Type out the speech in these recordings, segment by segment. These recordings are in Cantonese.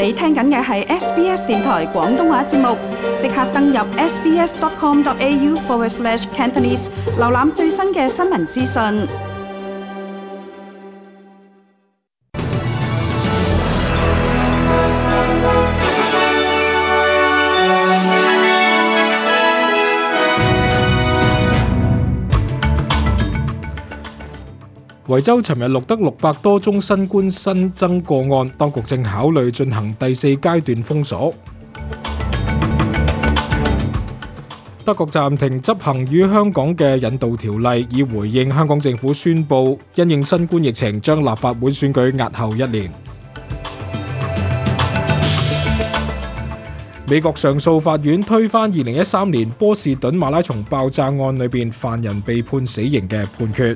你聽緊嘅係 SBS 電台廣東話節目，即刻登入 sbs.com.au/Cantonese 瀏覽最新嘅新聞資訊。維州尋日錄得600多宗新冠新增個案，當局正考慮進行第4階段封鎖。德國暫停執行與香港嘅引渡條例，以回應香港政府宣布因應新冠疫情將立法會選舉押後1年。美國上訴法院推翻2013年波士頓馬拉松爆炸案裏邊犯人被判死刑嘅判決。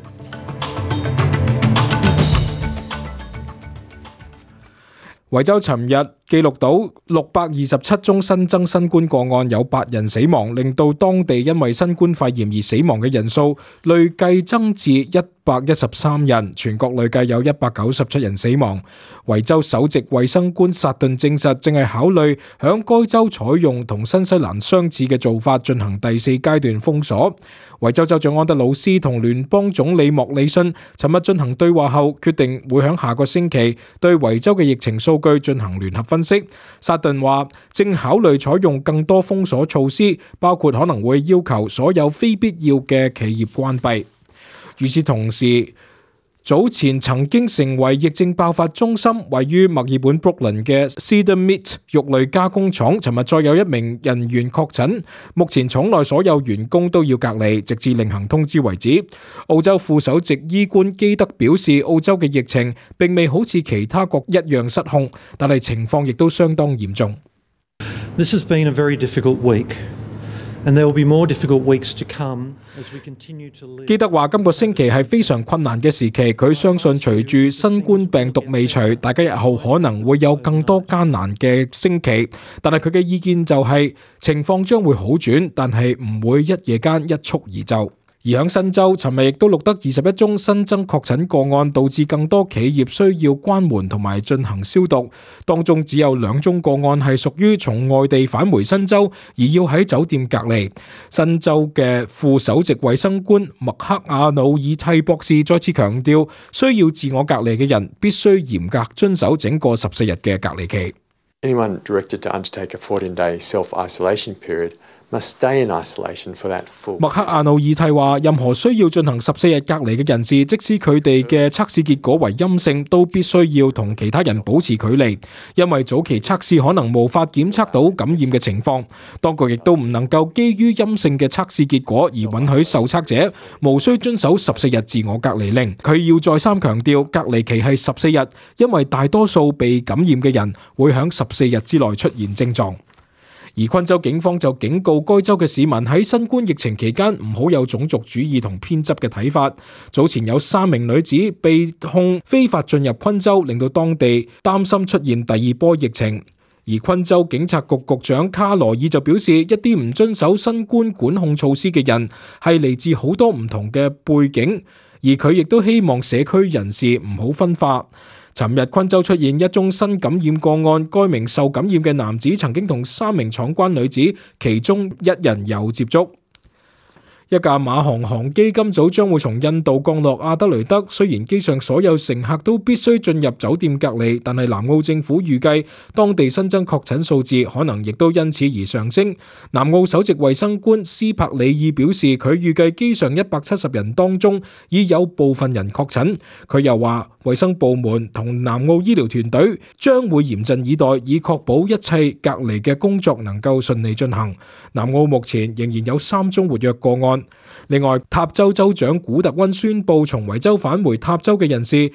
維州尋日記錄到627宗新增新冠個案，有8人死亡，令到當地因為新冠肺炎而死亡嘅人數累計增至113人，全國累計有197人死亡。維州首席衛生官薩頓證實，正係考慮響該州採用同新西蘭相似嘅做法，進行第4階段封鎖。維州州長安德魯斯同聯邦總理莫里遜尋日進行對話後，決定會響下個星期對維州嘅疫情數據進行聯合分析。薩頓話正考慮採用更多封鎖措施，包括可能會要求所有非必要嘅企業關閉。與此同時，早前曾經成為疫症爆發中心，位於墨爾本 Brookland 嘅 Cedar Meat 肉類加工廠，尋日再有一名人員確診，目前廠內所有員工都要隔離，直至另行通知為止。澳洲副首席醫官基德表示，澳洲嘅疫情並未好似其他國一樣失控，但係情況亦都相當嚴重。This has been a very difficult week.And there will be more difficult weeks to come as we continue to live. 基德話今個星期係非常困難嘅時期，佢相信隨住新冠病毒未除，大家日後可能會有更多艱難嘅星期，但係佢嘅意見就係情況將會好轉，但係唔會一夜間一蹴而就。而響新州，尋日亦都錄得21宗新增確診個案，導致更多企業需要關門同埋進行消毒。當中只有2宗個案係屬於從外地返回新州而要喺酒店隔離。新州嘅副首席衛生官麥克亞努爾蒂博士再次強調，需要自我隔離嘅人必須嚴格遵守整個14日嘅隔離期。Anyone directed to undertake a 14-day self-isolation period.Must stay in isolation for that full. 麥克亞努爾蒂話，任何需要進行14日隔離嘅人士，即使佢哋嘅測試結果為陰性，都必須要同其他人保持距離，因為早期測試可能無法檢測到感染嘅情況。當局亦都唔能夠基於陰性嘅測試結果而允許受測者無需遵守14日自我隔離令。佢要再三強調，隔離期係14日，因為大多數被感染嘅人會喺14日之內出現症狀。而昆州警方就警告該州嘅市民喺新冠疫情期間唔好有種族主義同偏執嘅睇法。早前有3名女子被控非法進入昆州，令到當地擔心出現第2波疫情。而昆州警察局局長卡羅爾就表示，一啲唔遵守新冠管控措施嘅人係嚟自好多唔同嘅背景，而佢亦都希望社區人士唔好分化。尋日昆州出現1宗新感染個案，該名受感染嘅男子曾經同3名闖關女子，其中1人有接觸。一架馬航航機今早將會從印度降落阿德雷德，雖然機上所有乘客都必須進入酒店隔離，但係南澳政府預計當地新增確診數字可能亦都因此而上升。南澳首席衛生官斯柏里爾表示，佢預計機上170人當中已有部分人確診。佢又話，衛生部門同南澳醫療團隊將會嚴陣以待，以確保一切隔離嘅工作能夠順利進行。南澳目前仍然有3宗活躍個案。另外，塔州州長古特溫宣布，從維州返回塔州嘅人士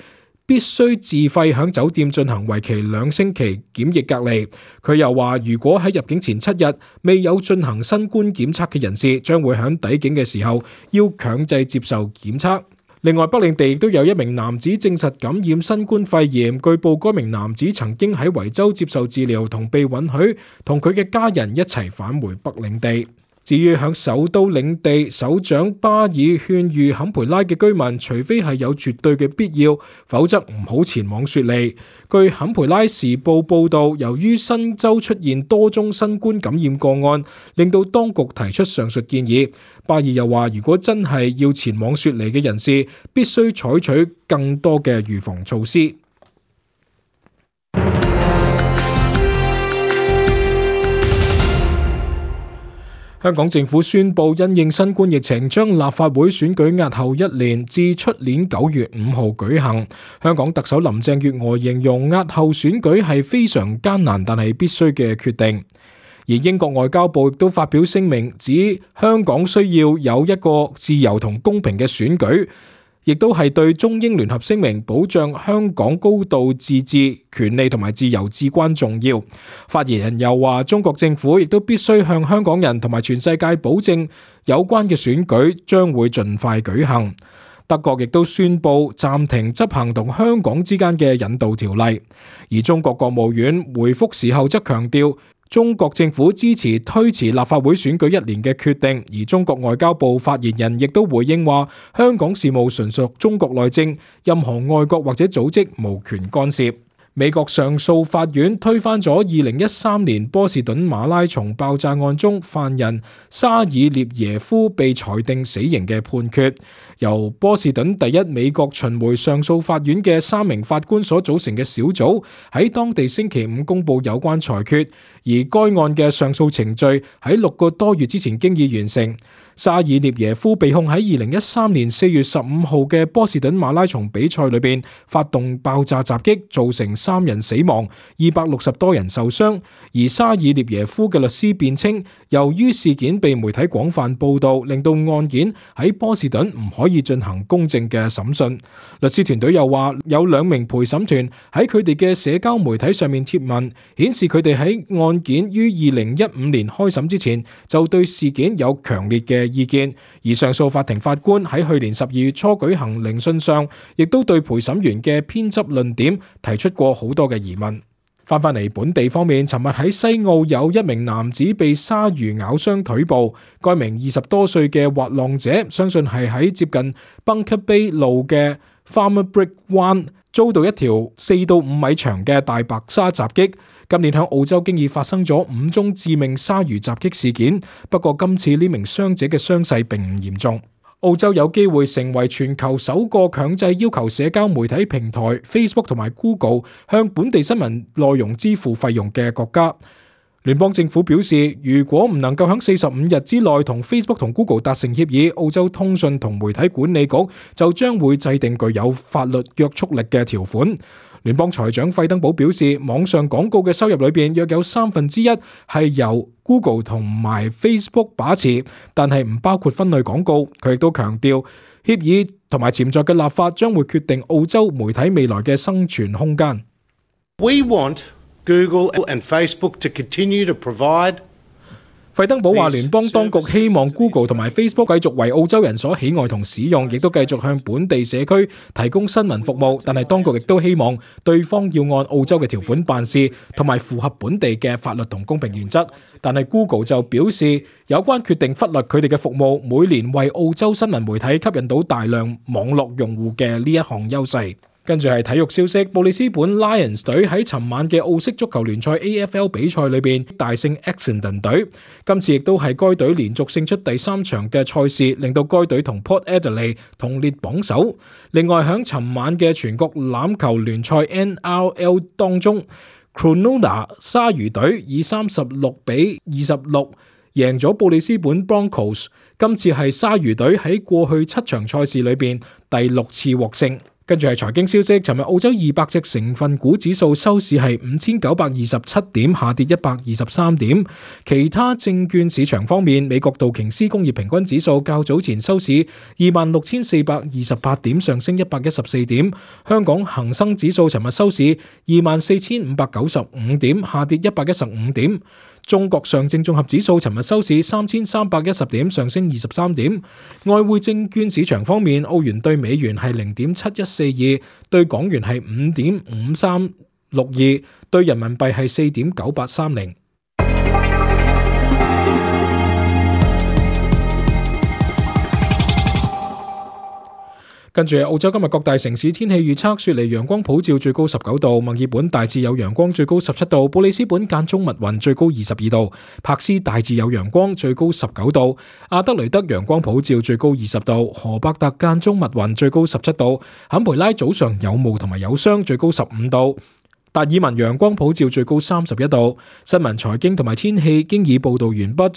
必須自費響酒店進行為期2星期檢疫隔離。佢又話，如果喺入境前7日未有進行新冠檢測嘅人士，將會響抵境嘅時候要強制接受檢測。另外，北領地亦都有1名男子證實感染新冠肺炎，據報該名男子曾經喺維州接受治療，同被允許同佢嘅家人一齊返回北領地。至於響首都領地，首長巴爾勸喻坎培拉嘅居民，除非係有絕對嘅必要，否則唔好前往雪梨。據坎培拉時報報導，由於新州出現多宗新冠感染個案，令到當局提出上述建議。巴爾又話，如果真係要前往雪梨嘅人士，必須採取更多嘅預防措施。香港政府宣布，因應新冠疫情，將立法會選舉押後1年，至出年9月5號舉行。香港特首林鄭月娥形容押後選舉係非常艱難，但係必須嘅決定。而英國外交部亦都發表聲明，指香港需要有一個自由同公平嘅選舉，亦都係對中英聯合聲明保障香港高度自治權利同埋自由至關重要。發言人又話，中國政府亦都必須向香港人同埋全世界保證有關嘅選舉將會盡快舉行。德國亦都宣布暫停執行同香港之間嘅引渡條例。而中國國務院回覆時候則強調，中國政府支持推遲立法會選舉1年嘅決定，而中國外交部發言人亦都回應話，香港事務純屬中國內政，任何外國或者組織無權干涉。美國上訴法院推翻咗2013年波士頓馬拉松爆炸案中犯人沙爾列耶夫被裁定死刑嘅判決，由波士頓第一美國巡迴上訴法院嘅3名法官所組成嘅小組喺當地星期5公佈有關裁決，而該案嘅上訴程序喺6個多月之前經已完成。沙爾列耶夫被控喺2013年4月15號嘅波士頓馬拉松比賽裏邊發動爆炸襲擊，造成3人死亡，260多人受傷。而沙爾列耶夫嘅律師辯稱，由於事件被媒體廣泛報導，令到案件喺波士頓唔可以進行公正嘅審訊。律師團隊又話，有2名陪審團喺佢哋嘅社交媒體上面貼文，顯示佢哋喺案件於2015年開審之前就對事件有強烈嘅意見。而上訴法庭法官喺去年12月初舉行聆訊上，亦都對陪審員嘅編輯論點提出過好多嘅疑問。翻返嚟本地方面，尋日喺西澳有一名男子被鯊魚咬傷腿部，該名20多歲嘅滑浪者相信係喺接近 Bunker Bay 路嘅 Farmer Brick 灣遭到一條4到5米長嘅大白鯊襲擊。今年喺澳洲經已發生咗5宗致命鯊魚襲擊事件，不過今次呢名傷者嘅傷勢並唔嚴重。澳洲有機會成為全球首個強制要求社交媒體平台 Facebook 同埋 Google 向本地新聞內容支付費用嘅國家。聯邦政府表示，如果唔能夠喺45日之內同 Facebook 同 Google 達成協議，澳洲通訊同媒體管理局就將會制定具有法律約束力嘅條款。聯邦財長費登堡表示，網上廣告嘅收入裏邊約有1/3係由 Google 同埋 Facebook 把持，但係唔包括分類廣告。佢亦都強調，協議同埋潛在嘅立法將會決定澳洲媒體未來嘅生存空間。We want Google and Facebook to continue to provide。費登堡話，聯邦當局希望 Google 同埋 Facebook 繼續為澳洲人所喜愛同使用，亦都繼續向本地社區提供新聞服務。但係當局亦都希望對方要按澳洲嘅條款辦事，同埋符合本地嘅法律同公平原則。但係 Google 就表示，有關決定忽略佢哋嘅服務每年為澳洲新聞媒體吸引到大量網絡用戶嘅呢一項優勢。跟住係體育消息，布里斯本 Lions 隊喺尋晚嘅澳式足球聯賽 AFL 比賽裏邊大勝 Essendon 隊，今次亦都係該隊連續勝出第3場嘅賽事，令到該隊同 Port Adelaide 同列榜首。另外響尋晚嘅全國欖球聯賽 NRL 當中， Cronulla 鯊魚隊以36-26贏咗布里斯本 Broncos， 今次係鯊魚隊喺過去7場賽事裏邊第6次獲勝。跟住係財經消息，尋日澳洲200隻成分股指數收市係5927點，下跌123點。其他證券市場方面，美國道瓊斯工業平均指數較早前收市26,428點，上升114點。香港恒生指數尋日收市24,595點，下跌115點。中國上證綜合指數尋日收市3,310點，上升23點。外匯證券市場方面，澳元對美元係0.7142，對港元係5.5362，對人民幣係4.9830。跟住澳洲今日各大城市天氣預測：雪梨陽光普照，最高19度；墨爾本大致有陽光，最高17度；布里斯本間中密雲，最高22度；柏斯大致有陽光，最高19度；阿德雷德陽光普照，最高20度；荷伯特間中密雲，最高17度；坎培拉早上有霧同埋有霜，最高15度；達爾文陽光普照，最高31度。新聞、財經同埋天氣經已報道完畢。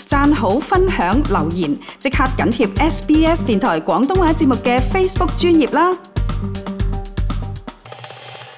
讚好、分享、留言，即刻緊貼SBS 電台廣東話節目嘅 Facebook 專頁啦！